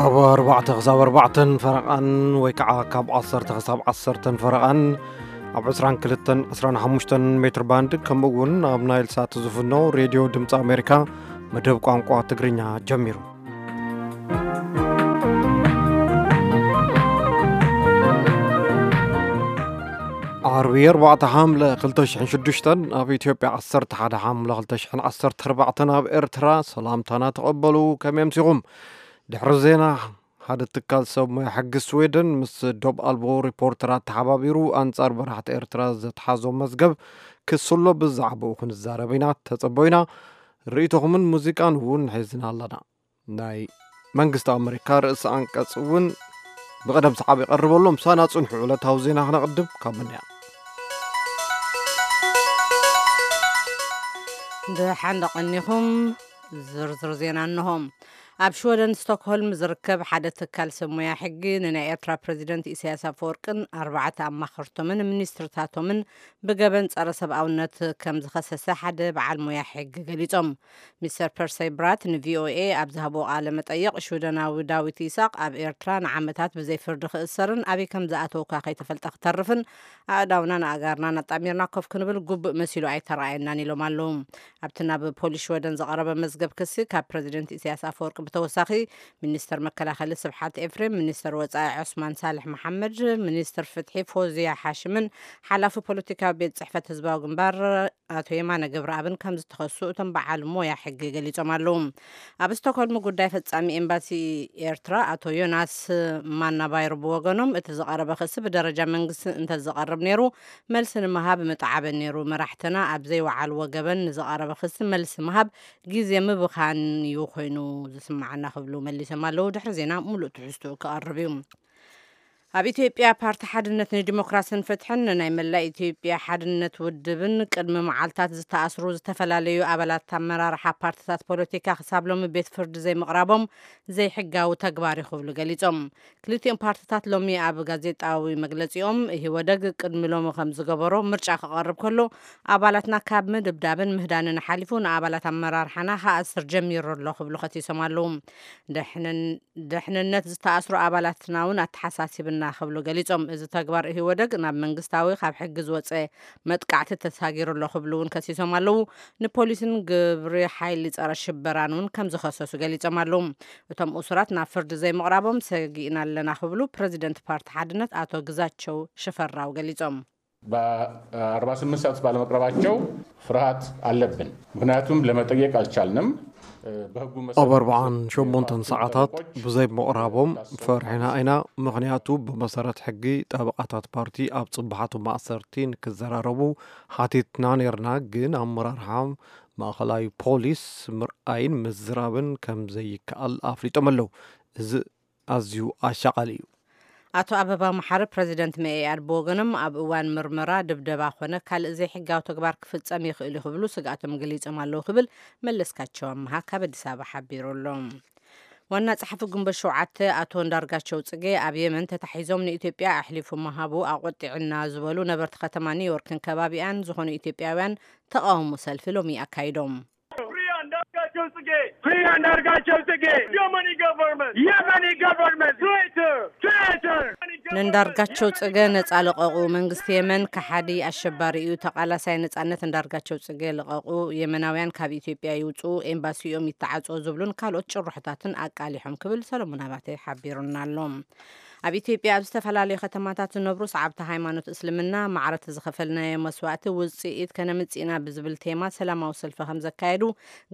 ካብ ኣርባዕተ ክሳብ ኣርባዕተን ፈረቓን ወይ ከዓ ካብ ዓሰርተ ክሳብ ዓሰርተን ፈረቓን ኣብ ዕስራን ክልተን ዕስራን ሓሙሽተን ሜትር ባንድ፣ ከምኡ እውን ኣብ ናይል ሳት ዝፍኖ ሬድዮ ድምፂ ኣሜሪካ መደብ ቋንቋ ትግርኛ ጀሚሩ። ዓርቢ ኣርባዕተ ሓምለ ክልተ ሽሕን ሽዱሽተን፣ ኣብ ኢትዮጵያ ዓሰርተ ሓደ ሓምለ ክልተ ሽሕን ዓሰርተ ኣርባዕተን፣ ኣብ ኤርትራ ሰላምታና ተቐበሉ። ከመይ ኣምሲኹም? ድሕሪ ዜና፣ ሓደ ትካል ሰብ ሞያ ሕጊ ስዌደን ምስ ዶብ ኣልቦ ሪፖርተራት ተሓባቢሩ ኣንጻር መራሕቲ ኤርትራ ዘትሓዞ መዝገብ ክስሎ ብዛዕባኡ ክንዛረብ ኢና። ተጸበዩና። ርእይቶኹምን ሙዚቃን እውን ሒዝና ኣለና። ናይ መንግስቲ ኣመሪካ ርእሲ ኣንቀጽ እውን ብቐደም ሰዓብ ይቐርበሎም። ሳና ጽንሑ ዕለታዊ ዜና ክነቕድም ካብ ምንያ። ደሓን ደቐኒኹም። ዝርዝር ዜና እንሆ። ኣብ ሽወደን ስቶክሆልም ዝርከብ ሓደ ትካል ሰብ ሞያ ሕጊ ንናይ ኤርትራ ፕረዚደንት ኢሳያስ ኣፈወርቅን ኣርባዕተ ኣማኸርቶምን ሚኒስትርታቶምን ብገበን ጸረ ሰብኣውነት ከም ዝኸሰሰ ሓደ በዓል ሞያ ሕጊ ገሊጾም። ሚስተር ፐርሰይ ብራት ንቪኦኤ ኣብ ዝሃቦ ቃለ መጠይቕ፣ ሽወደናዊ ዳዊት ይስሐቅ ኣብ ኤርትራ ንዓመታት ብዘይ ፍርዲ ክእሰርን ኣበይ ከም ዝኣተወ እኳ ከይተፈልጠ ክተርፍን ኣእዳውናን ኣእጋርናን ኣጣሚርና ኮፍ ክንብል ግቡእ መሲሉ ኣይተረኣየናን ኢሎም ኣለዉ። ኣብቲ ናብ ፖሊስ ሽወደን ዝቐረበ መዝገብ ክሲ፣ ካብ ፕረዚደንት ኢሳያስ ኣፈወርቂ ብተወሳኺ ሚኒስተር መከላኸሊ ስብሓት ኤፍሬም፣ ሚኒስተር ወጻኢ ዑስማን ሳልሕ መሓመድ፣ ሚኒስትር ፍትሒ ፎዝያ ሓሽምን ሓላፊ ፖለቲካዊ ቤት ጽሕፈት ህዝባዊ ግንባር ኣቶ የማነ ገብረኣብን ከም ዝተኸሱ እቶም በዓል ሞያ ሕጊ ገሊጾም ኣለዉ። ኣብ ስቶክሆልም ጉዳይ ፈጻሚ ኤምባሲ ኤርትራ ኣቶ ዮናስ ማናባይር ብወገኖም፣ እቲ ዝቐረበ ክሲ ብደረጃ መንግስቲ እንተዝቐርብ ነይሩ፣ መልሲ ንምሃብ ምጠዓበ ነይሩ። መራሕትና ኣብ ዘይወዓልዎ ገበን ንዝቐረበ ክሲ መልሲ ምሃብ ግዜ ምብኻን እዩ ኮይኑ ዝስምዓና ክብሉ መሊሶም ኣለዉ። ድሕሪ ዜና ሙሉእ ትሕዝትኡ ክቐርብ እዩ። ኣብ ኢትዮጵያ ፓርቲ ሓድነት ንዲሞክራስን ፍትሕን ናይ መላእ ኢትዮጵያ ሓድነት ውድብን ቅድሚ መዓልታት ዝተኣስሩ ዝተፈላለዩ ኣባላት ኣመራርሓ ፓርትታት ፖለቲካ ክሳብ ሎሚ ቤት ፍርዲ ዘይምቕራቦም ዘይሕጋዊ ተግባር እዩ ክብሉ ገሊጾም። ክልቲኦም ፓርትታት ሎሚ ኣብ ጋዜጣዊ መግለጺኦም፣ ኢህወደግ ቅድሚ ሎሚ ከም ዝገበሮ ምርጫ ክቐርብ ከሎ ኣባላትና ካብ ምድብዳብን ምህዳንን ሓሊፉ ንኣባላት ኣመራርሓና ክኣስር ጀሚሩ ኣሎ ክብሉ ከሲሶም ኣለዉ። ድሕንን-፣ ድሕንነት ዝተኣስሩ ኣባላትና እውን ኣተሓሳሲብና ክብሉ ገሊጾም። እዚ ተግባር ኢህወደግ ናብ መንግስታዊ ካብ ሕጊ ዝወጸ መጥቃዕቲ ተሳጊሩ ኣሎ ክብሉ እውን ከሲሶም ኣለዉ። ንፖሊስን ግብሪ ሓይሊ ጸረ ሽበራን እውን ከም ዝኸሰሱ ገሊጾም ኣለዉ። እቶም እሱራት ናብ ፍርዲ ዘይምቕራቦም ሰጊእና ኣለና ክብሉ ፕረዚደንት ፓርቲ ሓድነት ኣቶ ግዛቸው ሽፈራው ገሊጾም። በአርባ ስምንት ሰዓት ባለመቅረባቸው ፍርሃት አለብን። ምክንያቱም ለመጠየቅ አልቻልንም። በህጉ መሰረት ኣብ ኣርባዓን ሸሞንተን ሰዓታት ብዘይ ምቕራቦም ፈሪሕና ኢና። ምኽንያቱ ብመሰረት ሕጊ ጠበቓታት ፓርቲ ኣብ ጽባሓቱ ማእሰርቲ ንክዘራረቡ ሓቲትና ነርና፣ ግን ኣመራርሓ ማእኸላይ ፖሊስ ምርኣይን ምዝራብን ከም ዘይከኣል ኣፍሊጦም ኣለዉ። እዚ ኣዝዩ ኣሻቓሊ እዩ። ኣቶ ኣበባው መሓሪ ፕረዚደንት መኢኣድ ብወገኖም፣ ኣብ እዋን ምርመራ ድብደባ ኮነ ካልእ ዘይሕጋዊ ተግባር ክፍጸም ይኽእል እዩ ክብሉ ስግኣቶም ገሊጾም ኣለዉ ክብል መለስካቸው ኣመሃ ካብ ኣዲስ ኣበባ ሓቢሩ ኣሎ። ዋና ጸሓፊ ግንቦት ሸውዓተ ኣቶ እንዳርጋቸው ጽጌ ኣብ የመን ተታሒዞም ንኢትዮጵያ ኣሕሊፉ ምሃቡ ኣቖጢዕና ዝበሉ ነበርቲ ከተማ ኒውዮርክን ከባቢኣን ዝኾኑ ኢትዮጵያውያን ተቓውሞ ሰልፊ ሎሚ ኣካይዶም። Free Andargachew Tsege! Free Andargachew Tsege! Yemeni government! Yemeni government! Traitor! Traitor! ንእንዳርጋቸው ጽገ ነጻ ልቐቑ። መንግስቲ የመን ከሓዲ ኣሸባሪ እዩ። ተቓላሳይ ነጻነት እንዳርጋቸው ጽገ ልቐቑ። የመናውያን ካብ ኢትዮጵያ ይውጽኡ። ኤምባሲኦም ይተዓጽኦ ዝብሉን ካልኦት ጭርሖታትን ኣቃሊሖም ክብል ሰለሙን ኣባተ ሓቢሩና ኣሎ። ኣብ ኢትዮጵያ ኣብ ዝተፈላለዩ ከተማታት ዝነብሩ ሰዓብቲ ሃይማኖት እስልምና ማዕረ እቲ ዝኸፈልናዮ መስዋእቲ ውጽኢት ከነምጽእ ኢና ብዝብል ቴማ ሰላማዊ ሰልፊ ከም ዘካየዱ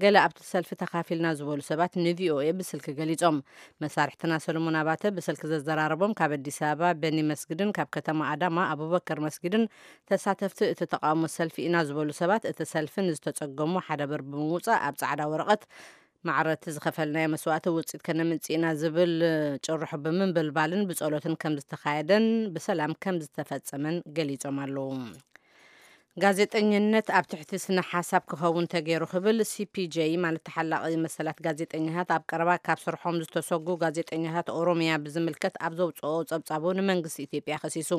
ገለ ኣብቲ ሰልፊ ተኻፊልና ዝበሉ ሰባት ንቪኦኤ ብስልኪ ገሊጾም። መሳርሕትና ሰለሞን ኣባተ ብስልኪ ዘዘራረቦም ካብ ኣዲስ ኣበባ በኒ መስጊድን ካብ ከተማ ኣዳማ ኣቡበከር መስጊድን ተሳተፍቲ እቲ ተቃውሞ ሰልፊ ኢና ዝበሉ ሰባት፣ እቲ ሰልፊ ንዝተጸገሙ ሓዳበር ብምውጻእ ኣብ ጻዕዳ ወረቐት ማዕረ እቲ ዝኸፈልናዮ መስዋእቲ ውጽኢት ከነምጽእ ኢና ዝብል ጭርሖ ብምንብልባልን ብጸሎትን ከም ዝተኻየደን ብሰላም ከም ዝተፈጸመን ገሊጾም ኣለዉ። ጋዜጠኝነት ኣብ ትሕቲ ስነ ሓሳብ ክኸውን ተገይሩ ክብል ሲ ፒ ጄ ማለት ተሓላቒ መሰላት ጋዜጠኛታት ኣብ ቀረባ ካብ ስርሖም ዝተሰጉ ጋዜጠኛታት ኦሮሚያ ብዝምልከት ኣብ ዘውፅኦ ጸብጻቡ ንመንግስቲ ኢትዮጵያ ከሲሱ።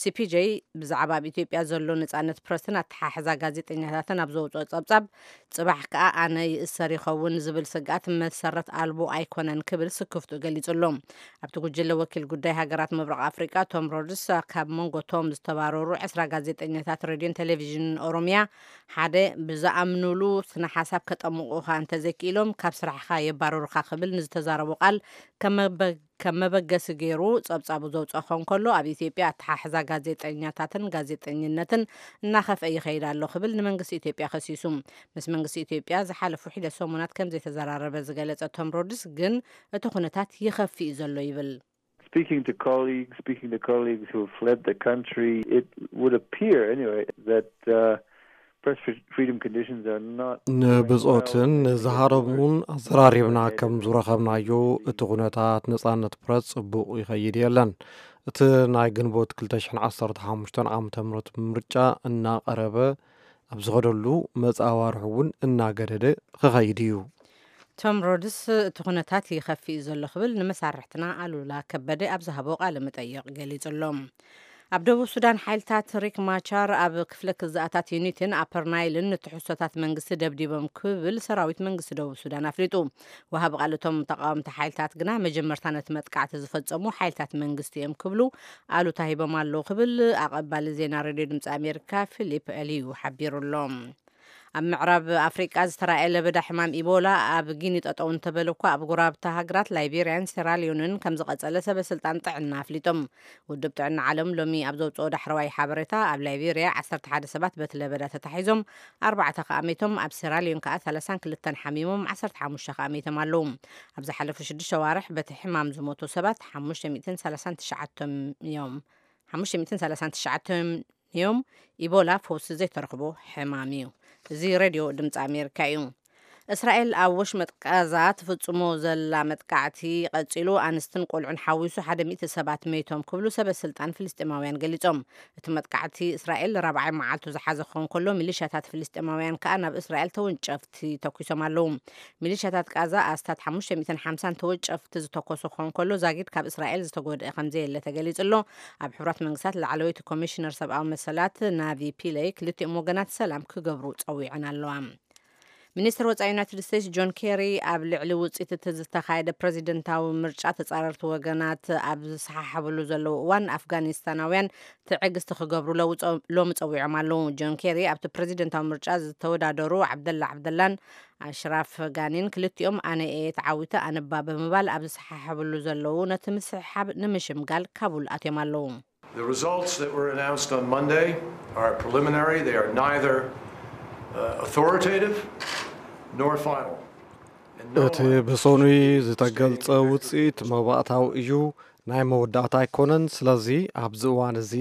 ሲ ፒ ጄ ብዛዕባ ኣብ ኢትዮጵያ ዘሎ ነጻነት ፕረስን ኣተሓሕዛ ጋዜጠኛታትን ኣብ ዘውፅኦ ጸብጻብ ጽባሕ ከኣ ኣነ ይእሰር ይኸውን ዝብል ስግኣት መሰረት ኣልቦ ኣይኮነን ክብል ስክፍቱ ገሊጹ ኣሎ። ኣብቲ ጉጅለ ወኪል ጉዳይ ሃገራት ምብራቕ ኣፍሪቃ ቶም ሮድስ ካብ መንጎ ቶም ዝተባረሩ ዕስራ ጋዜጠኛታት ሬድዮን ቴሌቪዥንን ኦሮሚያ ሓደ ብዝኣምኑሉ ስነ ሓሳብ ከጠምቑኻ እንተዘይክኢሎም ካብ ስራሕኻ የባረሩኻ ክብል ንዝተዛረቦ ቃል ከም መበ- ከም መበገሲ ገይሩ ጸብጻቡ ዘውጽኦ ከንከሎ ኣብ ኢትዮጵያ ኣተሓሕዛ ጋዜጠኛታትን ጋዜጠኝነትን እናኸፍአ ይኸይድ ኣሎ ክብል ንመንግስቲ ኢትዮጵያ ከሲሱ። ምስ መንግስቲ ኢትዮጵያ ዝሓለፉ ሒደት ሰሙናት ከም ዘይተዘራረበ ዝገለጸ ቶም ሮድስ ግን እቲ ኩነታት ይኸፍእ ዘሎ ይብል። Speaking to colleagues, speaking to colleagues who have fled the country, it would appear anyway that uh, press freedom conditions are not. ንብጾትን ንዝሃረሙን ኣዘራሪብና ከም ዝረኸብናዮ እቲ ኩነታት ነጻነት ፕረስ ጽቡቕ ይኸይድ የለን። እቲ ናይ ግንቦት ክልተ ሽሕን ዓሰርተ ሓሙሽተን ዓመተ ምህረት ምርጫ እናቐረበ ኣብ ዝኸደሉ መጻዋርሒ እውን እናገደደ ክኸይድ እዩ። ቶም ሮድስ እቲ ኩነታት ይኸፍእ እዩ ዘሎ ክብል ንመሳርሕትና ኣሉላ ከበደ ኣብ ዝሃቦ ቃለ መጠይቕ ገሊጹ ኣሎ። ኣብ ደቡብ ሱዳን ሓይልታት ሪክ ማቻር ኣብ ክፍለ ክዝኣታት ዩኒትን ኣፐር ናይልን ንትሕዝቶታት መንግስቲ ደብዲቦም ክብል ሰራዊት መንግስቲ ደቡብ ሱዳን ኣፍሊጡ። ወሃቢ ቃል እቶም ተቃወምቲ ሓይልታት ግና መጀመርታ ነቲ መጥቃዕቲ ዝፈጸሙ ሓይልታት መንግስቲ እዮም ክብሉ ኣሉታ ሂቦም ኣለዉ ክብል ኣቐባሊ ዜና ሬድዮ ድምፂ ኣሜሪካ ፊሊፕ ኤልዩ ሓቢሩ ኣሎ። ኣብ ምዕራብ ኣፍሪቃ ዝተራእየ ለበዳ ሕማም ኢቦላ ኣብ ጊኒ ጠጠው እንተበለ እኳ ኣብ ጎረባብቲ ሃገራት ላይቤርያን ሴራሊዮንን ከም ዝቐጸለ ሰበ ስልጣን ጥዕና ኣፍሊጦም። ውድብ ጥዕና ዓለም ሎሚ ኣብ ዘውፅኦ ዳሕረዋይ ሓበሬታ ኣብ ላይቤርያ ዓሰርተ ሓደ ሰባት በቲ ለበዳ ተታሒዞም ኣርባዕተ ከኣ ሜቶም ኣብ ሴራሊዮን ከኣ ሰላሳን ክልተን ሓሚሞም ዓሰርተ ሓሙሽተ ከኣ ሜቶም ኣለዉ። ኣብ ዝሓለፉ ሽዱሽተ ኣዋርሕ በቲ ሕማም ዝሞቱ ሰባት ሓሙሽተ ሚእትን ሰላሳን ትሽዓተን እዮም። ሓሙሽተ ሚእትን ሰላሳን ትሽዓተን እዮም። ኢቦላ ፈውሲ ዘይተረኽቦ ሕማም እዩ። እዚ ሬድዮ ድምፂ ኣሜሪካ እዩ። እስራኤል ኣብ ወሽመጥ ቃዛ ትፍጽሞ ዘላ መጥቃዕቲ ቀጺሉ ኣንስትን ቆልዑን ሓዊሱ ሓደ ሚእቲ ሰባት መይቶም ክብሉ ሰበ ስልጣን ፍልስጤማውያን ገሊጾም። እቲ መጥቃዕቲ እስራኤል ራብዓይ መዓልቱ ዝሓዘ ክኸውን ከሎ ሚሊሻታት ፍልስጤማውያን ከኣ ናብ እስራኤል ተወንጨፍቲ ተኩሶም ኣለዉ። ሚሊሻታት ቃዛ ኣስታት ሓሙሽተ ሚእትን ሓምሳን ተወንጨፍቲ ዝተኮሱ ክኸውን ከሎ ዛጊድ ካብ እስራኤል ዝተጎድአ ከምዘየለ ተገሊጹ ኣሎ። ኣብ ሕቡራት መንግስታት ላዕለወይቲ ኮሚሽነር ሰብኣዊ መሰላት ናቪ ፒለይ ክልቲኦም ወገናት ሰላም ክገብሩ ጸዊዐን ኣለዋ። ሚኒስትር ወፃኢ ዩናይትድ ስቴትስ ጆን ኬሪ ኣብ ልዕሊ ውፅኢት እቲ ዝተኻየደ ፕሬዚደንታዊ ምርጫ ተፃረርቲ ወገናት ኣብ ዝሰሓሓብሉ ዘለዉ እዋን ኣፍጋኒስታናውያን ትዕግስቲ ክገብሩ ሎሚ ፀዊዖም ኣለዉ። ጆን ኬሪ ኣብቲ ፕሬዚደንታዊ ምርጫ ዝተወዳደሩ ዓብደላ ዓብደላን ኣሽራፍ ጋኒን ክልቲኦም ኣነ እየ ተዓዊተ ኣነባ ብምባል ኣብ ዝሰሓሓብሉ ዘለዉ ነቲ ምስሕሓብ ንምሽምጋል ካቡል ኣትዮም ኣለዉ። The results that were announced on Monday are preliminary. They are neither uh, authoritative nor final. እቲ ብሰኑይ ዝተገልጸ ውፅኢት መባእታዊ እዩ፣ ናይ መወዳእታ ኣይኮነን። ስለዚ ኣብዚ እዋን እዚ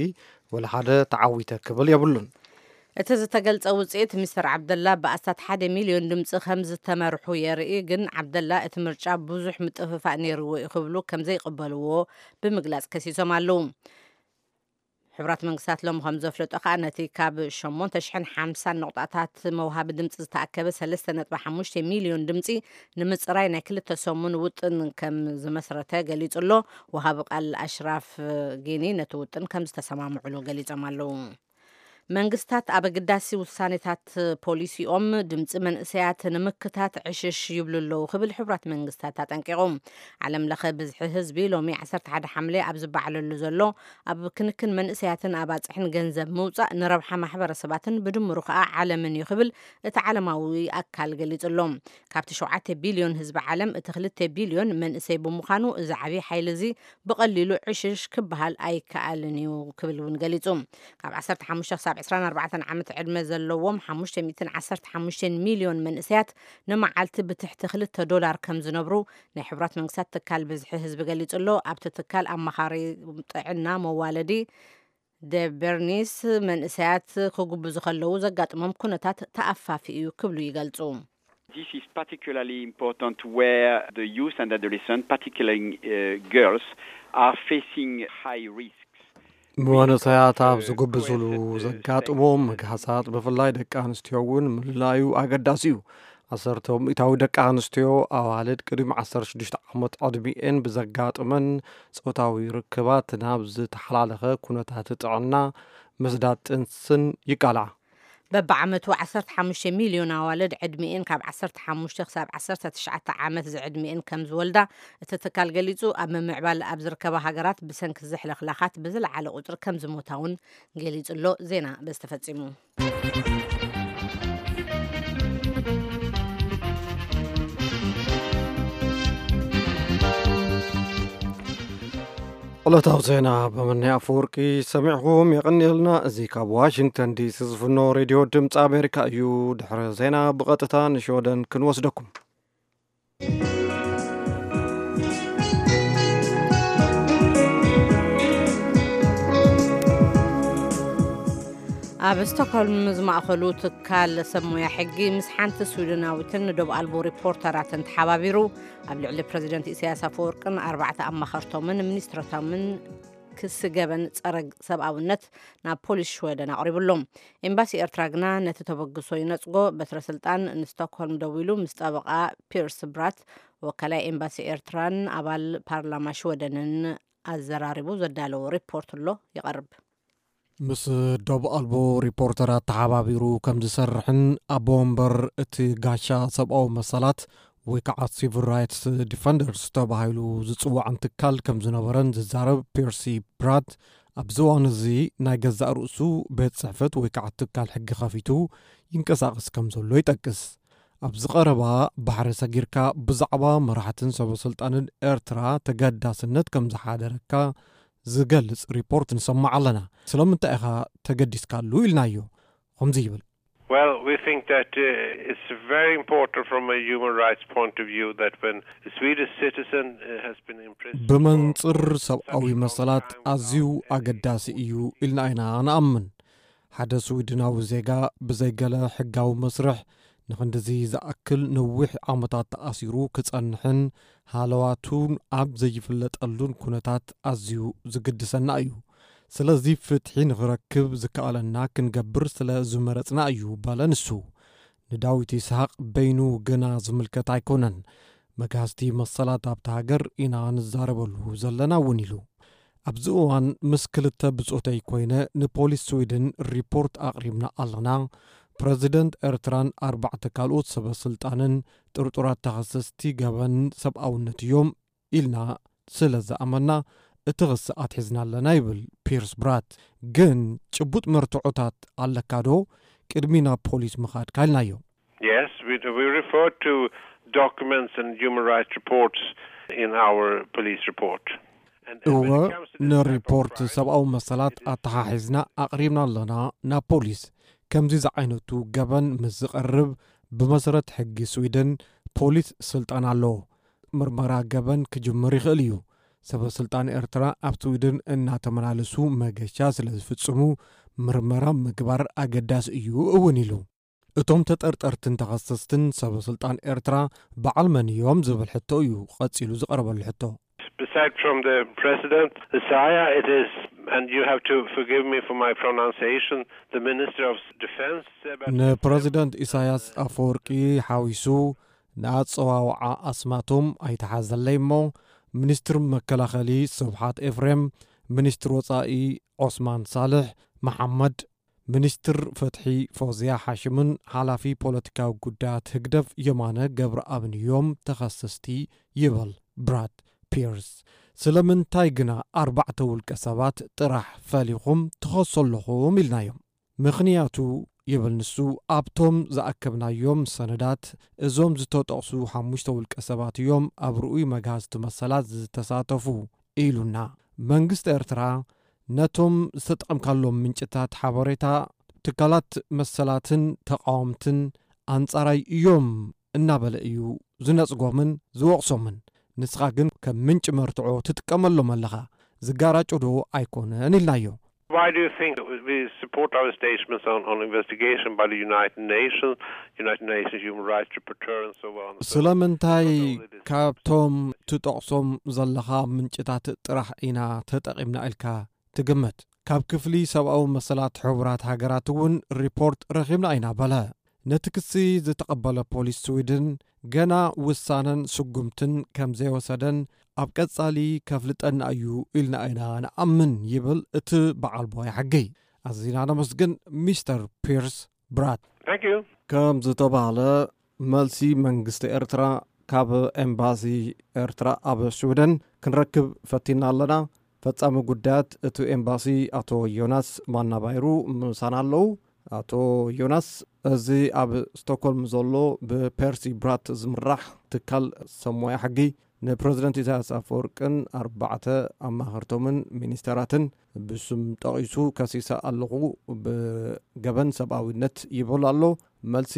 ወላ ሓደ ተዓዊተ ክብል የብሉን። እቲ ዝተገልጸ ውፅኢት ሚስተር ዓብደላ ብኣስታት ሓደ ሚልዮን ድምፂ ከም ዝተመርሑ የርኢ። ግን ዓብደላ እቲ ምርጫ ብዙሕ ምጥፍፋእ ነይርዎ እዩ ክብሉ ከም ዘይቅበልዎ ብምግላፅ ከሲሶም ኣለዉ። ሕቡራት መንግስታት ሎሚ ከም ዘፍለጦ ከኣ ነቲ ካብ ሸሞንተ ሽሕን ሓምሳን ነቑጣታት መውሃቢ ድምፂ ዝተኣከበ ሰለስተ ነጥቢ ሓሙሽተ ሚልዮን ድምፂ ንምፅራይ ናይ ክልተ ሰሙን ውጥን ከም ዝመስረተ ገሊጹ ኣሎ። ወሃቢ ቃል ኣሽራፍ ጊኒ ነቲ ውጥን ከም ዝተሰማምዕሉ ገሊጾም ኣለዉ። መንግስታት ኣብ ኣገዳሲ ውሳኔታት ፖሊሲኦም ድምፂ መንእሰያት ንምክታት ዕሽሽ ይብሉ ኣለዉ ክብል ሕቡራት መንግስታት ኣጠንቂቑ። ዓለም ለኸ ብዝሒ ህዝቢ ሎሚ ዓሰርተ ሓደ ሓምለ ኣብ ዝበዓለሉ ዘሎ ኣብ ክንክን መንእሰያትን ኣባፅሕን ገንዘብ ምውፃእ ንረብሓ ማሕበረሰባትን ብድምሩ ከዓ ዓለምን እዩ ክብል እቲ ዓለማዊ ኣካል ገሊፁ ኣሎ። ካብቲ ሸውዓተ ቢልዮን ህዝቢ ዓለም እቲ ክልተ ቢልዮን መንእሰይ ብምዃኑ እዚ ዓብዪ ሓይሊ እዚ ብቐሊሉ ዕሽሽ ክበሃል ኣይከኣልን እዩ ክብል እውን ገሊፁ። ካብ ዓሰርተ ሓሙሽተ ክሳብ ዕስራን ኣርባዕተን ዓመት ዕድመ ዘለዎም ሓሙሽተ ሚእትን ዓሰርተ ሓሙሽተን ሚልዮን መንእሰያት ንመዓልቲ ብትሕቲ ክልተ ዶላር ከም ዝነብሩ ናይ ሕቡራት መንግስታት ትካል ብዝሒ ህዝቢ ገሊጹ ኣሎ። ኣብቲ ትካል ኣማኻሪ ጥዕና መዋለዲ ደበርኒስ መንእሰያት ክጉብዙ ከለዉ ዘጋጥሞም ኩነታት ተኣፋፊ እዩ ክብሉ ይገልጹ። This is particularly important where the youth and adolescents, particularly uh, girls, are facing high risks. መንእሰያት ኣብ ዝጉብዝሉ ዘጋጥሞም ምግሃሳት፣ ብፍላይ ደቂ ኣንስትዮ እውን ምልላዩ ኣገዳሲ እዩ። ዓሰርተ ሚእታዊ ደቂ ኣንስትዮ ኣዋልድ ቅድሚ ዓሰርተ ሽዱሽተ ዓመት ዕድሚኤን ብዘጋጥመን ጾታዊ ርክባት ናብ ዝተሓላለኸ ኩነታት ጥዕና፣ ምስዳድ ጥንስን ይቃልዓ። በብዓመቱ ዓሰርተ ሓሙሽተ ሚልዮን ኣዋልድ ዕድሚኤን ካብ ዓሰርተ ሓሙሽተ ክሳብ ዓሰርተ ትሽዓተ ዓመት ዝዕድሚኤን ከም ዝወልዳ እቲ ትካል ገሊጹ፣ ኣብ ምምዕባል ኣብ ዝርከባ ሃገራት ብሰንኪ ዝሕለኽላኻት ብዝለዓለ ቁጽሪ ከም ዝሞታ እውን ገሊጹ ኣሎ። ዜና በዚ ተፈጺሙ። ዕለታዊ ዜና በመናይ ኣፈወርቂ ሰሚዕኹም የቐንየልና። እዚ ካብ ዋሽንግተን ዲሲ ዝፍኖ ሬድዮ ድምፂ ኣሜሪካ እዩ። ድሕሪ ዜና ብቐጥታ ንሽወደን ክንወስደኩም። ኣብ ስቶክሆልም ዝማእኸሉ ትካል ሰብ ሞያ ሕጊ ምስ ሓንቲ ስዊድናዊትን ንዶብ ኣልቦ ሪፖርተራትን ተሓባቢሩ ኣብ ልዕሊ ፕረዚደንት ኢሳያስ ኣፈወርቅን ኣርባዕተ ኣማኸርቶምን ሚኒስትሮቶምን ክሲ ገበን ጸረ ሰብኣውነት ናብ ፖሊስ ሽወደን ኣቕሪቡሎም። ኤምባሲ ኤርትራ ግና ነቲ ተበግሶ ይነጽጎ። በትረ ስልጣን ንስቶክሆልም ደዊሉ ምስ ጠበቓ ፒርስ ብራት፣ ወካላይ ኤምባሲ ኤርትራን ኣባል ፓርላማ ሽወደንን ኣዘራሪቡ ዘዳለዎ ሪፖርት ኣሎ ይቐርብ። ምስ ዶብ ኣልቦ ሪፖርተራት ተሓባቢሩ ከም ዝሰርሕን ኣቦ ወንበር እቲ ጋሻ ሰብኣዊ መሰላት ወይ ከዓ ሲቪል ራይትስ ዲፈንደርስ ተባሂሉ ዝፅዋዕን ትካል ከም ዝነበረን ዝዛረብ ፒርሲ ብራት፣ ኣብዚ እዋን እዚ ናይ ገዛእ ርእሱ ቤት ጽሕፈት ወይ ከዓ ትካል ሕጊ ከፊቱ ይንቀሳቐስ ከም ዘሎ ይጠቅስ። ኣብዚ ቀረባ ባሕሪ ሰጊርካ ብዛዕባ መራሕትን ሰበ ስልጣንን ኤርትራ ተገዳስነት ከም ዝሓደረካ ዝገልጽ ሪፖርት ንሰማዕ ኣለና። ስለምንታይ ኢኻ ተገዲስካሉ ኢልናዮ። ከምዚ ይብል። Well, we think that uh, it's very important from a human rights point of view that when a Swedish citizen uh, has been imprisoned for ብመንጽር ሰብኣዊ መሰላት ኣዝዩ ኣገዳሲ እዩ ኢልና ኢና ንኣምን። ሓደ ስዊድናዊ ዜጋ ብዘይገለ ሕጋዊ መስርሕ ንኽንድዚ ዝኣክል ነዊሕ ዓመታት ተኣሲሩ ክጸንሕን ሃለዋቱን ኣብ ዘይፍለጠሉን ኩነታት ኣዝዩ ዝግድሰና እዩ። ስለዚ ፍትሒ ንኽረክብ ዝከኣለና ክንገብር ስለ ዝመረጽና እዩ በለ ንሱ። ንዳዊት ይስሃቅ በይኑ ግና ዝምልከት ኣይኮነን። መግሃስቲ መሰላት ኣብቲ ሃገር ኢና ንዛረበሉ ዘለና እውን ኢሉ። ኣብዚ እዋን ምስ ክልተ ብጾተይ ኮይነ ንፖሊስ ስዊድን ሪፖርት ኣቕሪብና ኣለና። ፕረዚደንት ኤርትራን ኣርባዕተ ካልኦት ሰበ ስልጣንን ጥርጡራት ተኸሰስቲ ገበን ሰብኣውነት እዮም ኢልና ስለ ዝኣመና እቲ ክሲ ኣትሒዝና ኣለና ይብል ፒርስ ብራት። ግን ጭቡጥ መርትዖታት ኣለካ ዶ ቅድሚ ናብ ፖሊስ ምኻድካ ኢልናዮ። Yes, we, we refer to documents and human rights reports in our police report. And, and when እወ it comes to this type of ንሪፖርት crime, ሰብኣዊ መሰላት ኣተሓሒዝና ኣቕሪብና ኣለና ናብ ፖሊስ። ከምዚ ዝዓይነቱ ገበን ምስ ዝቐርብ ብመሰረት ሕጊ ስዊድን ፖሊስ ስልጣን ኣለዎ። ምርመራ ገበን ክጅምር ይኽእል እዩ። ሰበ ስልጣን ኤርትራ ኣብ ስዊድን እናተመላለሱ መገሻ ስለ ዝፍጽሙ ምርመራ ምግባር ኣገዳሲ እዩ እውን ኢሉ። እቶም ተጠርጠርትን ተኸሰስትን ሰበ ስልጣን ኤርትራ በዓል መን እዮም ዝብል ሕቶ እዩ ቀጺሉ ዝቐረበሉ ሕቶ። Beside from the president, Isaiah, it is, and you have to forgive me for my pronunciation, the Minister of Defense, Sebert ንፕረዚደንት ኢሳያስ ኣፈወርቂ ሓዊሱ ንኣጸዋውዓ ኣስማቶም ኣይተሓዘለይ እሞ፣ ሚኒስትር መከላኸሊ ስብሓት ኤፍሬም፣ ሚኒስትር ወጻኢ ዖስማን ሳልሕ መሓመድ፣ ሚኒስትር ፍትሒ ፎዝያ ሓሽምን ሓላፊ ፖለቲካዊ ጉዳያት ህግደፍ የማነ ገብረኣብን እዮም ተኸሰስቲ ይብል ብራድ ፒርስ። ስለምንታይ ግና ኣርባዕተ ውልቀ ሰባት ጥራሕ ፈሊኹም ትኸሱ ኣለኹም ኢልናዮም። ምኽንያቱ ይብል ንሱ፣ ኣብቶም ዝኣከብናዮም ሰነዳት እዞም ዝተጠቕሱ ሓሙሽተ ውልቀ ሰባት እዮም ኣብ ርኡይ መግሃስቲ መሰላት ዝተሳተፉ ኢሉና። መንግስቲ ኤርትራ ነቶም ዝተጠቐምካሎም ምንጭታት ሓበሬታ ትካላት መሰላትን ተቓወምትን ኣንጻራይ እዮም እናበለ እዩ ዝነጽጎምን ዝወቕሶምን። ንስኻ ግን ከም ምንጪ መርትዖ ትጥቀመሎም ኣለኻ። ዝጋራጮ ዶ ኣይኮነን ኢልናዮ። Why do you think we support our statements on, on investigation by the United Nations, United Nations human rights rapporteur and so on? ስለምንታይ ካብቶም ትጠቕሶም ዘለኻ ምንጭታት ጥራሕ ኢና ተጠቒምና ኢልካ ትግምት? ካብ ክፍሊ ሰብኣዊ መሰላት ሕቡራት ሃገራት እውን ሪፖርት ረኺብና ኢና በለ። ነቲ ክሲ ዝተቐበለ ፖሊስ ስዊድን ገና ውሳነን ስጉምትን ከም ዘይወሰደን ኣብ ቀጻሊ ከፍልጠና እዩ ኢልና ኢና ንኣምን ይብል እቲ በዓል ቦይ ሕጊ። ኣዚና ነመስግን ሚስተር ፒርስ ብራት። ከም ዝተባህለ መልሲ መንግስቲ ኤርትራ ካብ ኤምባሲ ኤርትራ ኣብ ስዊደን ክንረክብ ፈቲና ኣለና። ፈጻሚ ጉዳያት እቲ ኤምባሲ ኣቶ ዮናስ ማናባይሩ ምሳና ኣለዉ። ኣቶ ዮናስ፣ እዚ ኣብ ስቶክሆልም ዘሎ ብፐርሲ ብራት ዝምራሕ ትካል ሰብ ሞያ ሕጊ ንፕረዚደንት ኢሳያስ ኣፈወርቅን ኣርባዕተ ኣማኸርቶምን ሚኒስተራትን ብስም ጠቒሱ ከሲሰ ኣለኹ፣ ብገበን ሰብኣዊነት ይብል ኣሎ። መልሲ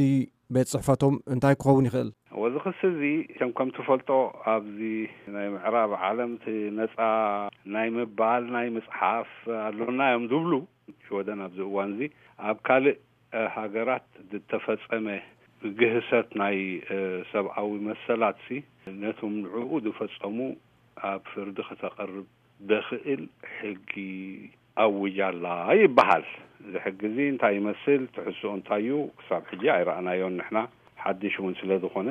ቤት ጽሕፈቶም እንታይ ክኸውን ይኽእል? ወዚ ክሲ እዚ ከም ከም ትፈልጦ ኣብዚ ናይ ምዕራብ ዓለም እቲ ነፃ ናይ ምባል ናይ ምፅሓፍ ኣሎና እዮም ዝብሉ ሽወደን ኣብዚ እዋን እዚ ኣብ ካልእ ሃገራት ዝተፈጸመ ግህሰት ናይ ሰብኣዊ መሰላት ሲ ነቶም ንዕኡ ዝፈጸሙ ኣብ ፍርዲ ከተቐርብ ደኽእል ሕጊ ኣውጃ ኣላ ይበሃል። እዚ ሕጊ እዚ እንታይ ይመስል፣ ትሕዝኦ እንታይ እዩ፣ ክሳብ ሕጂ ኣይረኣናዮን ንሕና። ሓድሽ እውን ስለ ዝኾነ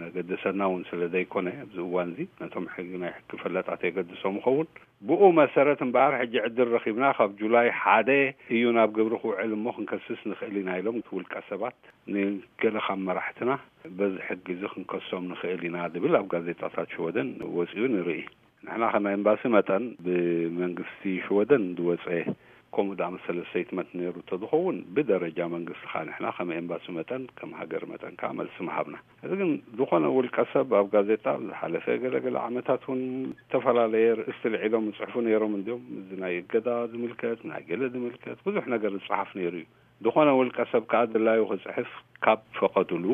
ዘገድሰና እውን ስለ ዘይኮነ ኣብዚ እዋን እዚ ነቶም ሕጊ ናይ ሕጊ ፈለጣት የገድሶም ይኸውን። ብኡ መሰረት እምበኣር ሕጂ ዕድል ረኺብና ካብ ጁላይ ሓደ እዩ ናብ ግብሪ ክውዕል እሞ ክንከስስ ንኽእል ኢና ኢሎም እቲ ውልቀ ሰባት ንገለ ካብ መራሕትና በዚ ሕጊ እዚ ክንከሶም ንኽእል ኢና ዝብል ኣብ ጋዜጣታት ሽወደን ወፂኡ ንርኢ። ንሕና ከም ኤምባሲ መጠን ብመንግስቲ ሽወደን ዝወፀ ከምኡ ዝኣመሰለ ስቴትመንት ነይሩ እንተዝኸውን ብደረጃ መንግስቲ ከዓ ንሕና ከም ኤምባሲ መጠን ከም ሃገር መጠን ከዓ መልሲ ምሃብና። እዚ ግን ዝኾነ ውልቀ ሰብ ኣብ ጋዜጣ ዝሓለፈ ገለገለ ዓመታት እውን ዝተፈላለየ ርእስቲ ልዒሎም ይፅሕፉ ነይሮም እንዲዮም። እዚ ናይ እገዳ ዝምልከት ናይ ገለ ዝምልከት ብዙሕ ነገር ዝፅሓፍ ነይሩ እዩ። ዝኾነ ውልቀ ሰብ ከዓ ድላዩ ክፅሕፍ ካብ ፈቐዱሉ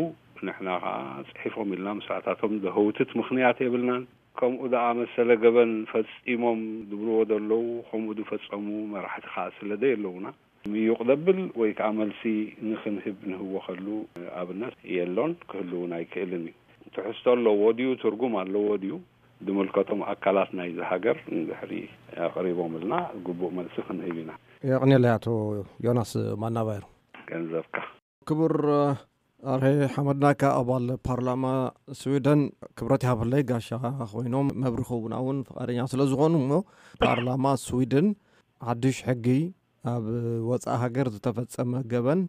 ንሕና ከዓ ፅሒፎም ኢልና ምስኣታቶም ዘህውትት ምኽንያት የብልናን። ከምኡ ዝኣመሰለ ገበን ፈፂሞም ዝብልዎ ዘለዉ ከምኡ ዝፈፀሙ መራሕቲ ከዓ ስለ ዘየለዉና ምዩቕ ዘብል ወይ ከዓ መልሲ ንኽንህብ ንህወኸሉ ኣብነት የሎን ክህልውን ኣይክእልን እዩ። ትሕዝቶ ኣለዎ ድዩ ትርጉም ኣለዎ ድዩ ዝምልከቶም ኣካላት ናይዚ ሃገር እንድሕሪ ኣቕሪቦምልና ግቡእ መልሲ ክንህብ ኢና። የቕንየለይ ኣቶ ዮናስ ማናባይሩ። ገንዘብካ። ክቡር ኣርሄ ሓመድናካ ኣባል ፓርላማ ስዊደን ክብረት ይሃበለይ ጋሻ ኮይኖም መብርሂ ክህቡና እውን ፍቓደኛ ስለ ዝኾኑ እሞ ፓርላማ ስዊድን ሓድሽ ሕጊ ኣብ ወፃኢ ሃገር ዝተፈፀመ ገበን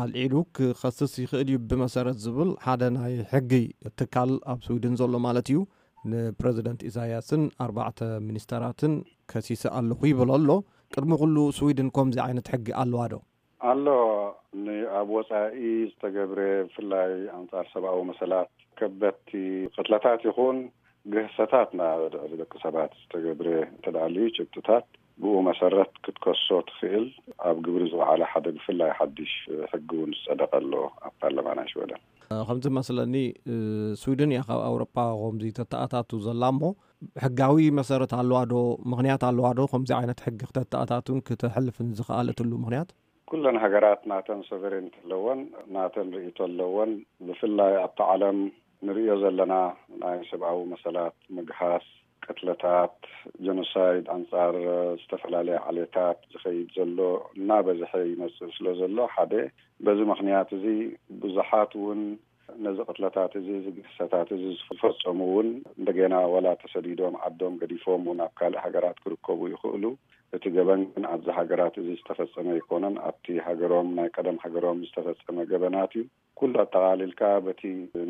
ኣልዒሉ ክኸስስ ይኽእል እዩ ብመሰረት ዝብል ሓደ ናይ ሕጊ ትካል ኣብ ስዊድን ዘሎ ማለት እዩ ንፕረዚደንት ኢሳያስን ኣርባዕተ ሚኒስተራትን ከሲሰ ኣለኹ ይብል ኣሎ። ቅድሚ ኩሉ ስዊድን ከምዚ ዓይነት ሕጊ ኣለዋ ዶ? ኣሎ። ንኣብ ወፃኢ ዝተገብረ ብፍላይ ኣንፃር ሰብኣዊ መሰላት ከበድቲ ቅትለታት ይኹን ግህሰታት ናብ ልዕሊ ደቂ ሰባት ዝተገብረ እንተደኣልዩ ጭብጥታት ብኡ መሰረት ክትከሶ ትኽእል ኣብ ግብሪ ዝወዓለ ሓደ ብፍላይ ሓድሽ ሕጊ እውን ዝፀደቀ ኣሎ ኣብ ፓርላማ ናይ ሽወደን። ከምዚ መስለኒ ስዊድን እያ ካብ ኣውሮጳ ከምዚ ተተኣታቱ ዘላ እሞ ሕጋዊ መሰረት ኣለዋ ዶ? ምኽንያት ኣለዋ ዶ ከምዚ ዓይነት ሕጊ ክተተኣታቱን ክተሕልፍን ዝኸኣለትሉ ምኽንያት? ኩለን ሃገራት ናተን ሶቨሬንቲ ኣለወን፣ ናተን ርእይቶ ኣለወን። ብፍላይ ኣብቲ ዓለም ንርእዮ ዘለና ናይ ሰብኣዊ መሰላት ምግሃስ፣ ቅትለታት፣ ጀኖሳይድ ኣንጻር ዝተፈላለያ ዓሌታት ዝኸይድ ዘሎ እናበዝሐ ይመጽእ ስለ ዘሎ ሓደ በዚ ምኽንያት እዚ ብዙሓት እውን ነዚ ቅትለታት እዚ፣ እዚ ግህሰታት እዚ ዝፈጸሙ እውን እንደገና ዋላ ተሰዲዶም ዓዶም ገዲፎም እውን ኣብ ካልእ ሃገራት ክርከቡ ይኽእሉ። እቲ ገበን ግን ኣብዚ ሃገራት እዚ ዝተፈጸመ ኣይኮነን። ኣብቲ ሃገሮም፣ ናይ ቀደም ሃገሮም ዝተፈጸመ ገበናት እዩ። ኩሉ ኣጠቓሊልካ በቲ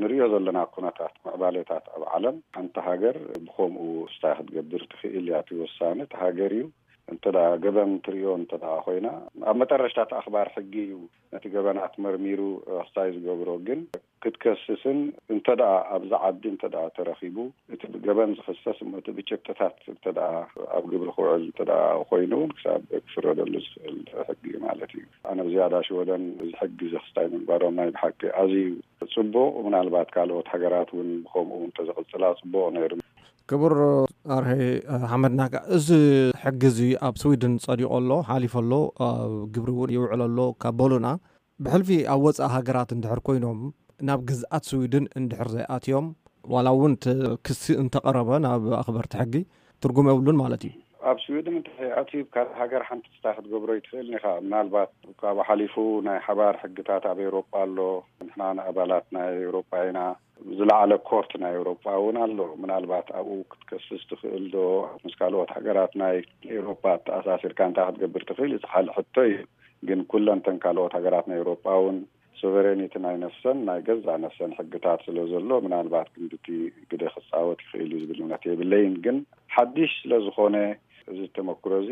ንርእዮ ዘለና ኩነታት ምዕባሌታት ኣብ ዓለም ሓንቲ ሃገር ብኸምኡ ስታይ ክትገብር ትኽእል እያ። እቲ ወሳኒ እቲ ሃገር እዩ። እንተ ደኣ ገበን ትርእዮ እንተ ደኣ ኮይና ኣብ መጠረሽታ እቲ ኣኽባር ሕጊ እዩ ነቲ ገበናት መርሚሩ ክሳይ ዝገብሮ። ግን ክትከስስን እንተ ደኣ ኣብዚ ዓዲ እንተ ደኣ ተረኺቡ እቲ ብገበን ዝኽሰስ እሞ እቲ ብጭብጥታት እንተ ደኣ ኣብ ግብሪ ክውዕል እንተ ደኣ ኮይኑ እውን ክሳብ ክፍረደሉ ዝኽእል ሕጊ እዩ ማለት እዩ። ኣነ ብዝያዳ ሽወደን እዚ ሕጊ እዚ ክስታይ ምግባሮም ናይ ብሓቂ ኣዝዩ ጽቡቕ፣ ምናልባት ካልኦት ሃገራት እውን ብኸምኡ እውን ተዘቕጽላ ጽቡቕ ነይሩ። ክቡር ኣርሄ ሓመድናካ፣ እዚ ሕጊ እዚ ኣብ ስዊድን ጸዲቑ ኣሎ፣ ሓሊፉ ኣሎ፣ ኣብ ግብሪ እውን ይውዕል ኣሎ ካብ በሉና፣ ብሕልፊ ኣብ ወጻኢ ሃገራት እንድሕር ኮይኖም ናብ ግዝኣት ስዊድን እንድሕር ዘይኣትዮም ዋላ እውን እቲ ክሲ እንተቐረበ ናብ ኣኽበርቲ ሕጊ ትርጉም የብሉን ማለት እዩ። ኣብ ስዊድን እንተ ኣትዩ፣ ካልእ ሃገር ሓንቲ ስታ ክትገብሮ ይትኽእል ኢኻ። ምናልባት ካብኡ ሓሊፉ ናይ ሓባር ሕግታት ኣብ ኤውሮጳ ኣሎ። ንሕና ንኣባላት ናይ ኤውሮጳ ኢና። ዝለዓለ ኮርት ናይ ኤውሮጳ እውን ኣሎ። ምናልባት ኣብኡ ክትከስስ ትኽእል ዶ? ምስ ካልኦት ሃገራት ናይ ኤውሮጳ ኣተኣሳሲርካ እንታይ ክትገብር ትኽእል? እዚ ሓደ ሕቶ እዩ። ግን ኩለን እተን ካልኦት ሃገራት ናይ ኤውሮጳ እውን ሶቨሬኒቲ ናይ ነፍሰን፣ ናይ ገዛእ ነፍሰን ሕግታት ስለ ዘሎ፣ ምናልባት ግን ብቲ ግደ ክጻወት ይኽእል እዩ ዝብል እምነት የብለይን። ግን ሓድሽ ስለ ዝኾነ፣ እዚ ተመክሮ እዚ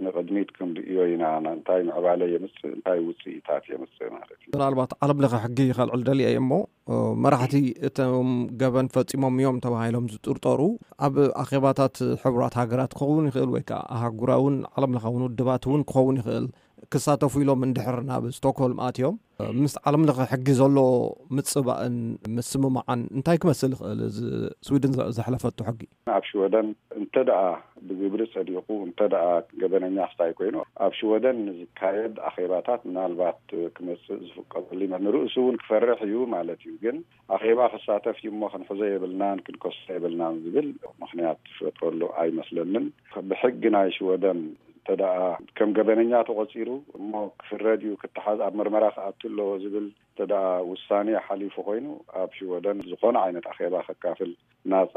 ንቕድሚት ክንርእዮ ኢና። እንታይ ምዕባለ የምጽእ፣ እንታይ ውጽኢታት የምጽእ ማለት እዩ። ምናልባት ዓለም ለኸ ሕጊ ከልዕል ደልየ እየ እሞ፣ መራሕቲ እቶም ገበን ፈጺሞም እዮም ተባሂሎም ዝጥርጠሩ ኣብ ኣኼባታት ሕቡራት ሃገራት ክኸውን ይኽእል፣ ወይ ከኣ ኣህጉራውን ዓለም ለኻውን ውድባት እውን ክኸውን ይኽእል፣ ክሳተፉ ኢሎም እንድሕር ናብ ስቶክሆልም ኣትዮም፣ ምስ ዓለም ለኸ ሕጊ ዘሎ ምጽባእን ምስምማዓን እንታይ ክመስል ይኽእል? እዚ ስዊድን ዘ-፣ ዘሕለፈቶ ሕጊ። ኣብ ሽወደን እንተ ደኣ ብግብሪ ጸዲቑ፣ እንተ ደኣ ገበነኛ ክስታይ ኮይኑ፣ ኣብ ሽወደን ንዝካየድ ኣኼባታት ምናልባት ክመጽእ ዝፍቀደሉ ይመ-፣ ንርእሱ እውን ክፈርሕ እዩ ማለት እዩ። ግን ኣኼባ ክሳተፍ እዩ እሞ ክንሕዞ የብልናን ክንከሶ የብልናን ዝብል ምኽንያት ዝፈጥረሉ ኣይመስለንን። ብሕጊ ናይ ሽወደን እንተ ደኣ ከም ገበነኛ ተቖጺሩ እሞ ክፍረድ እዩ፣ ክተሓዝ፣ ኣብ ምርመራ ክኣቱ ኣለዎ ዝብል እንተ ደኣ ውሳኔ ሓሊፉ ኮይኑ፣ ኣብ ሽወደን ዝኾነ ዓይነት ኣኼባ ከካፍል ናጻ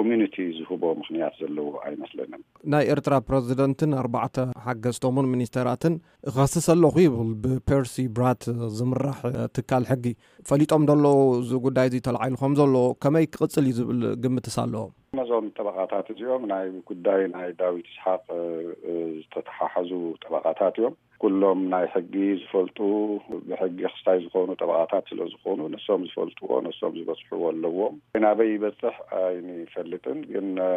ኢሚዩኒቲ ዝህቦ ምኽንያት ዘለዎ ኣይመስለንን። ናይ ኤርትራ ፕረዚደንትን ኣርባዕተ ሓገዝቶምን ሚኒስተራትን እኸስስ ኣለኹ ይብል ብፐርሲ ብራት ዝምራሕ ትካል ሕጊ። ፈሊጦም ዶ ኣለዉ እዚ ጉዳይ እዚ ተላዒሉ ከም ዘሎ? ከመይ ክቕጽል እዩ ዝብል ግምትስ ኣለዎም? ነዞም ጠበቓታት እዚኦም ናይ ጉዳይ ናይ ዳዊት ይስሓቕ፣ እ፣ ዝተተሓሓዙ ጠበቓታት እዮም። ኩሎም ናይ ሕጊ ዝፈልጡ፣ ብሕጊ ክስታይ ዝኾኑ ጠበቓታት ስለ ዝኾኑ፣ ንሶም ዝፈልጥዎ፣ ንሶም ዝበጽሕዎ ኣለዎም። ናበይ ይበጽሕ ኣይንፈልጥን፣ ግን፣ እ፣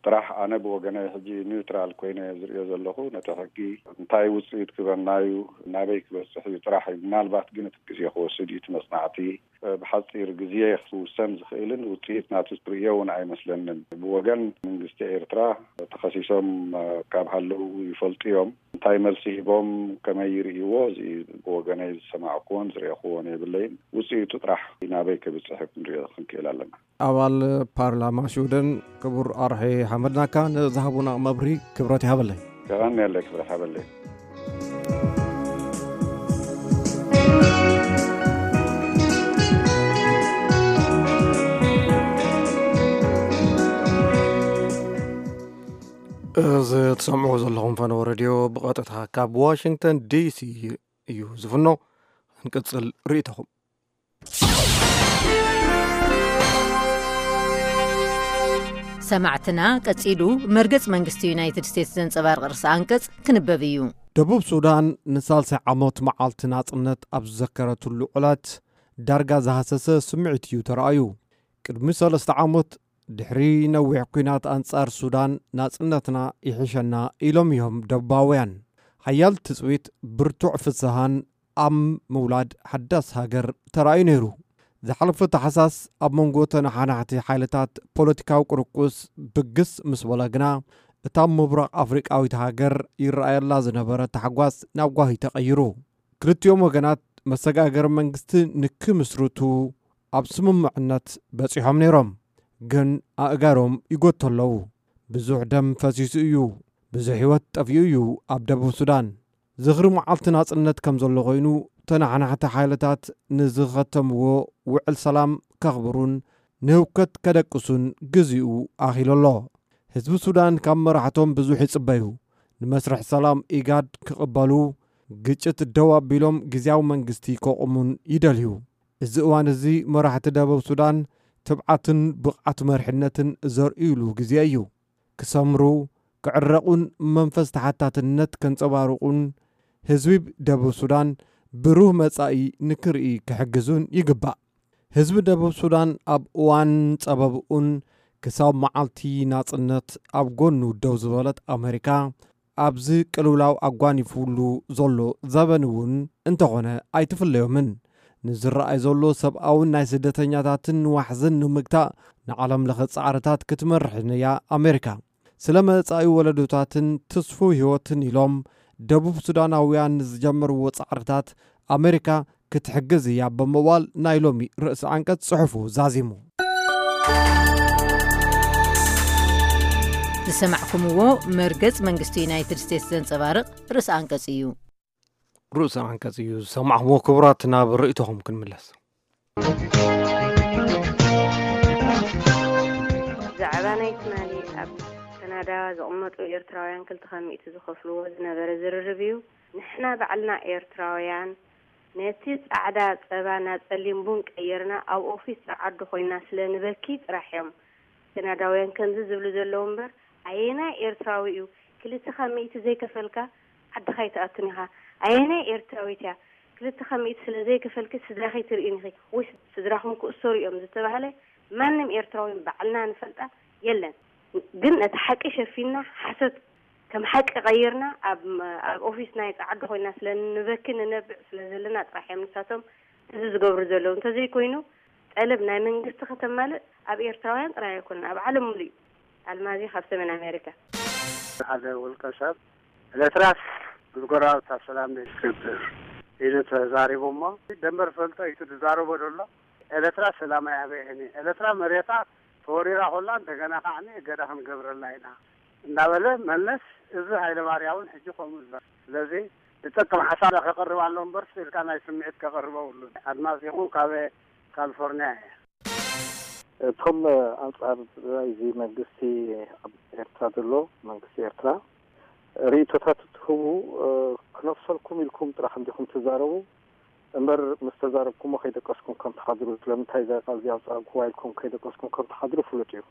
ጥራሕ ኣነ ብወገነይ ሕጂ ኒውትራል ኮይነ ዝርእዮ ዘለኹ፣ ነቲ ሕጊ እንታይ ውጽኢት ክበና እዩ፣ ናበይ ክበጽሕ እዩ ጥራሕ እዩ። ምናልባት ግን እቲ ግዜ ክወስድ እዩ፣ እቲ መጽናዕቲ፣ እ፣ ብሓጺር ግዜ ክውሰን ዝኽእልን ውጽኢት ናቱ ትርእዮ እውን ኣይመስለንን። ብወገን መንግስቲ ኤርትራ ተኸሲሶም፣ እ፣ ካብ ሃለዉ ይፈልጡ እዮም። እንታይ መልሲ ሂቦም፣ ከመይ ይርእይዎ፣ እዚ ብወገነይ ዝሰማዕኩዎን ዝረኣኹዎን የብለይን። ውጽኢቱ ጥራሕ ናበይ ከብጽሕ ክንሪኦ ክንክእል ኣለና። ኣባል ፓርላማ ሽወደን ክቡር ኣርሄ ሓመድናካ ንዝሃቡና መብርሂ ክብረት ይሃበለይ። የቐንየለይ፣ ክብረት ይሃበለይ። እዚ ትሰምዑ ዘለኹም ፈነወ ሬድዮ ብቐጥታ ካብ ዋሽንግተን ዲሲ እዩ ዝፍኖ። ክንቅጽል ርእይቶኹም። ሰማዕትና፣ ቀጺሉ መርገጽ መንግስቲ ዩናይትድ ስቴትስ ዘንጸባርቕ ርእሰ ኣንቀጽ ክንበብ እዩ። ደቡብ ሱዳን ንሳልሳይ ዓሞት መዓልቲ ናጽነት ኣብ ዝዘከረትሉ ዕለት ዳርጋ ዝሃሰሰ ስምዒት እዩ ተራእዩ። ቅድሚ ሰለስተ ዓሞት ድሕሪ ነዊሕ ኲናት ኣንጻር ሱዳን ናጽነትና ይሕሸና ኢሎም እዮም ደቡባውያን። ሓያል ትጽቢት፣ ብርቱዕ ፍስሃን ኣብ ምውላድ ሓዳስ ሃገር ተራእዩ ነይሩ። ዝሓለፈ ታሕሳስ ኣብ መንጎ ተነሓናሕቲ ሓይልታት ፖለቲካዊ ቅርቁስ ብግስ ምስ በለ ግና፣ እታ ምብራቕ ኣፍሪቃዊት ሃገር ይረኣየላ ዝነበረ ታሕጓስ ናብ ጓሂ ተቐይሩ። ክልቲኦም ወገናት መሰጋገሪ መንግስቲ ንክምስርቱ ኣብ ስምምዕነት በጺሖም ነይሮም። ግን ኣእጋሮም ይጎቱ ኣለዉ። ብዙሕ ደም ፈሲሱ እዩ፣ ብዙሕ ህይወት ጠፊኡ እዩ ኣብ ደቡብ ሱዳን። ዝኽሪ መዓልቲ ናጽነት ከም ዘሎ ኮይኑ፣ ተነሓናሕቲ ሓይልታት ንዝኸተምዎ ውዕል ሰላም ከኽብሩን ንህውከት ከደቅሱን ግዜኡ ኣኺሉ ኣሎ። ህዝቢ ሱዳን ካብ መራሕቶም ብዙሕ ይጽበዩ። ንመስርሕ ሰላም ኢጋድ ክቕበሉ፣ ግጭት ደው ኣቢሎም ግዝያዊ መንግስቲ ከቑሙን ይደልዩ። እዚ እዋን እዚ መራሕቲ ደቡብ ሱዳን ትብዓትን ብቕዓት መሪሕነትን ዘርእዩሉ ግዜ እዩ። ክሰምሩ፣ ክዕረቑን መንፈስ ተሓታትነት ከንጸባርቑን ህዝቢ ደቡብ ሱዳን ብሩህ መጻኢ ንክርኢ ክሕግዙን ይግባእ። ህዝቢ ደቡብ ሱዳን ኣብ እዋን ጸበብኡን ክሳብ መዓልቲ ናጽነት ኣብ ጎኑ ደው ዝበለት ኣመሪካ፣ ኣብዚ ቅልውላው ኣጓኒፉሉ ዘሎ ዘበን እውን እንተኾነ ኣይትፍለዮምን። ንዝረኣይ ዘሎ ሰብኣውን ናይ ስደተኛታትን ዋሕዝን ንምግታእ ንዓለም ለኸ ጻዕርታት ክትመርሕን እያ ኣሜሪካ። ስለ መጻኢ ወለዶታትን ትስፉው ህይወትን ኢሎም ደቡብ ሱዳናውያን ንዝጀመርዎ ጻዕርታት ኣሜሪካ ክትሕግዝ እያ ብምባል ናይ ሎሚ ርእሲ ዓንቀጽ ጽሑፉ ዛዚሙ። ዝሰማዕኩምዎ መርገጽ መንግስቲ ዩናይትድ ስቴትስ ዘንጸባርቕ ርእሰ ኣንቀጽ እዩ። ርእሰ ኣንቀጽ እዩ ዝሰማዕኩምዎ። ክቡራት፣ ናብ ርእይቶኹም ክንምለስ። ብዛዕባ ናይ ትማሊ ኣብ ካናዳ ዝቕመጡ ኤርትራውያን ክልተ ሚእቲ ዝኸፍልዎ ዝነበረ ዝርርብ እዩ። ንሕና ባዕልና ኤርትራውያን ነቲ ጻዕዳ ጸባ ናብ ጸሊም ቡን ቀይርና ኣብ ኦፊስ ጸዓዱ ኮይና ስለ ንበኪ ጥራሕ እዮም ካናዳውያን ከምዚ ዝብሉ ዘለዉ እምበር፣ ኣየናይ ኤርትራዊ እዩ ክልተ ካብ ሚእቲ ዘይከፈልካ ዓድኻ ኣይትኣቱን ኢኻ? ኣየናይ ኤርትራዊት እያ ክልተ ካብ ሚእቲ ስለ ዘይከፈልኪ ስድራኺ ትርእይን ኢኺ? ወይ ስድራኹም ክእሰሩ እዮም ዝተባህለ ማንም ኤርትራዊ ባዕልና ንፈልጣ የለን። ግን ነቲ ሓቂ ሸፊንና ሓሶት ከም ሓቂ ቀይርና ኣብ፣ ኣብ ኦፊስ ናይ ጸዓዱ ኮይና ስለ ንበኪ ንነብዕ ስለ ዘለና ጥራሕ እዮም ንሳቶም እዚ ዝገብሩ ዘለዉ። እንተዘይኮይኑ ጠለብ ናይ መንግስቲ ከተማልእ ኣብ ኤርትራውያን ጥራይ ኣይኮነን፣ ኣብ ዓለም ሙሉእ እዩ። ኣልማዚ ካብ ሰሜን ኣሜሪካ። ሓደ ውልቀ ሰብ ኤርትራስ ብጎረባብታ ሰላም ክትገብር ኢሉ ተዛሪቡ እሞ ደንበር ፈልጦ እዩ ዝዛረቦ ዘሎ። ኤርትራ ሰላም ኣያበየኒ፣ ኤርትራ መሬታ ተወሪራ ኮላ እንደገና ከዓ እገዳ ክንገብረላ ኢና እናበለ መለስ፣ እዚ ሃይለ ማርያምን ሕጂ ከምኡ ዝበለ። ስለዚ ዝጠቅም ሓሳብ ከቅርብ ኣሎ እምበር ስኢልካ ናይ ስምዒት ከቅርብ የብሉን። ኣድማስ ይኹን ካብ ካሊፎርኒያ እየ። እቶም ኣንጻር እዚ መንግስቲ ኣብ ኤርትራ ዘሎ መንግስቲ ኤርትራ ርእይቶታት እትህቡ፣ እ፣ ክነፍሰልኩም ኢልኩም ጥራሕ እንዲኹም ትዛረቡ እምበር ምስ ተዛረብኩሞ ከይደቀስኩም ከም ትሓድሩ፣ ስለምንታይ እዛ ቃል እዚኣ ኣውጻእኩዋ ኢልኩም ከይደቀስኩም ከም ትሓድሩ ፍሉጥ እዩ።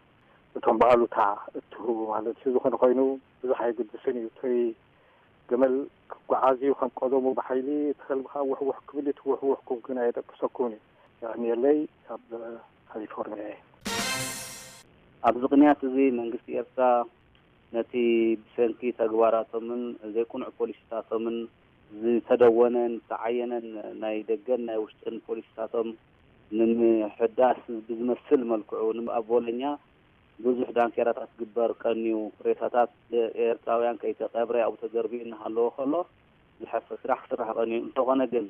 እቶም ብኣሉታ እትህቡ ማለት እዩ። ዝኾነ ኮይኑ ብዙሕ ኣይግድስን እዩ። እቶይ ገመል ክጓዓዝ እዩ፣ ከም ቀደሙ ብሓይሊ፣ እቲ ከልቢ ከዓ ውሕውሕ ክብል እዩ። እቲ ውሕውሕኩም ግን ኣየደቅሰኩምን እዩ። የቐንየለይ፣ ካብ ካሊፎርኒያ እየ። ኣብዚ ቅንያት እዚ መንግስቲ ኤርትራ ነቲ ብሰንኪ ተግባራቶምን ዘይቅኑዕ ፖሊሲታቶምን ዝተደወነን ዝተዓየነን ናይ ደገን ናይ ውሽጥን ፖሊሲታቶም ንምሕዳስ ብዝመስል መልክዑ፣ ን-፣ ኣብ ቦሎኛ ብዙሕ ዳንኬራታት ክግበር ቀንዩ፣ ሬሳታት ኤርትራውያን ከይተቐብረ ኣብኡ ተዘርቢኡ እናሃለወ ከሎ፣ ዝሐፍር ስራሕ ክስራሕ ቀንዩ። እንተኾነ ግን፣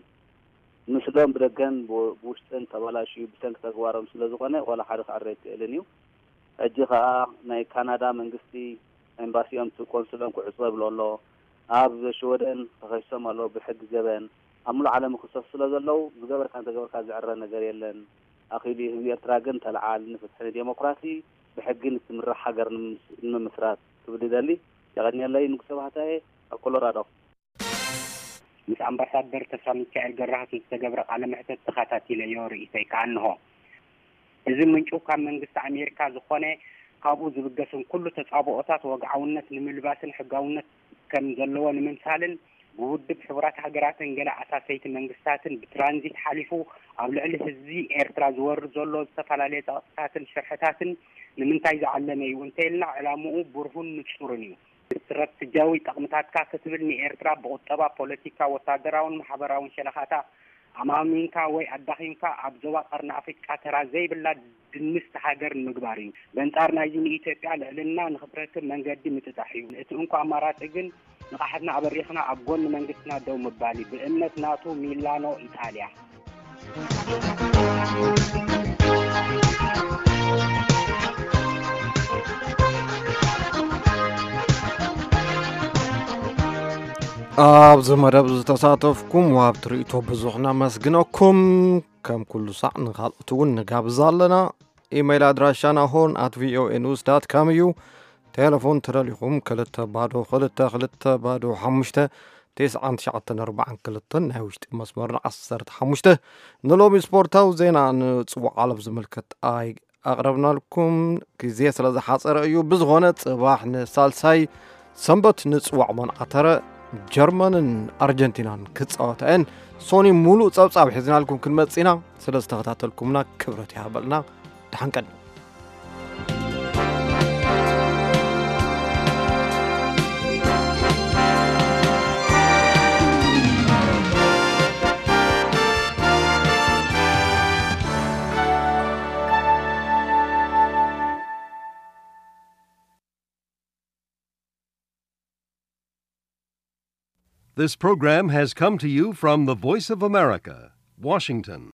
ምስሎም ብደገን ብ-፣ ብውሽጥን ተባላሽዩ ብሰንኪ ተግባሮም ስለ ዝኾነ፣ ዋላ ሓደ ክዕረ ኣይክእልን እዩ። ሕጂ ኸኣ ናይ ካናዳ መንግስቲ ኤምባሲኦም፣ እቲ ቆንስሎም ክዕጾ ይብሎ ኣሎ። ኣብ ሽወደን ተኸሲሶም ኣለዉ ብሕጊ ገበን። ኣብ ሙሉእ ዓለም ይኽሰሱ ስለ ዘለዉ፣ ዝገበርካ እንተገበርካ ዝዕረ ነገር የለን። ኣኺሉ እዩ ህዝቢ ኤርትራ ግን ተለዓል ንፍትሒ ንዴሞክራሲ ብሕጊ ንትምራሕ ሃገር ንምስ-፣ ንምምስራት ክብል ይደሊ። የቐንየለይ። ንጉሰ ባህታዬ ካብ ኮሎራዶ። ምስ ኣምባሳደር ተስፋሚካኤል ገብረሃት ዝተገብረ ቃለ መሕተት ተኸታቲለዮ፣ ርእይቶይ ከኣ እንሆ። እዚ ምንጩ ካብ መንግስቲ ኣሜሪካ ዝኾነ፣ ካብኡ ዝብገስን ኩሉ ተጻብኦታት ወግዓውነት ንምልባስን ሕጋውነት ከም ዘለዎ ንምምሳልን፣ ብውድብ ሕቡራት ሃገራትን ገለ ኣሳሰይቲ መንግስታትን ብትራንዚት ሓሊፉ ኣብ ልዕሊ ህዝቢ ኤርትራ ዝወርድ ዘሎ ዝተፈላለየ ጸቕጥታትን ሽርሕታትን ንምንታይ ዝዓለመ እዩ እንተኢልና፣ ዕላምኡ ብሩሁን ንጹርን እዩ። ስትራተጂያዊ ጠቕምታትካ ክትብል ንኤርትራ ብቁጠባ፣ ፖለቲካ፣ ወታደራውን ማሕበራውን ሸነኻታ ኣማሚንካ ወይ ኣዳኺምካ ኣብ ዞባ ቀርኒ ኣፍሪቃ ተራ ዘይብላ ድንስቲ ሃገር ንምግባር እዩ። በንጻር ናይዚ ንኢትዮጵያ ልዕልና ንኽትረክብ መንገዲ ምጥጣሕ እዩ። እቲ እንኮ ኣማራጺ ግን ንቕሓትና ኣበሪኽና ኣብ ጎኒ መንግስትና ደው ምባል እዩ። ብእምነት ናቱ ሚላኖ ኢጣልያ። ኣብዚ መደብ ዝተሳተፍኩም ወሃብቲ ርእይቶ ብዙሕ ነመስግነኩም። ከም ኩሉ ሳዕ ንኻልኦት እውን ንጋብዝ ኣለና። ኢመይል ኣድራሻና ሆርን ኣት ቪኦኤ ኒውስ ዳት ካም እዩ። ቴሌፎን ተደሊኹም ክልተ ባዶ ክልተ ክልተ ባዶ ሓሙሽተ፣ ተስዓን ትሽዓተን ኣርባዓን ክልተን ናይ ውሽጢ መስመርና ዓሰርተ ሓሙሽተ። ንሎሚ ስፖርታዊ ዜና ንጽዋዕ ዓለም ዝምልከት ኣይ-፣ ኣቕረብናልኩም። ግዜ ስለ ዝሓጸረ እዩ። ብዝኾነ ጽባሕ ንሳልሳይ ሰንበት ንጽዋዕ መን ዓተረ ጀርመንን ኣርጀንቲናን ክጻወታ እየን። ሶኒ ሙሉእ ጸብጻብ ሒዝናልኩም ክንመጽእ ኢና። ስለ ዝተኸታተልኩምና ክብረት ይሃበልና። ደሓን ቀኒ። This program has come to you from the Voice of America, Washington.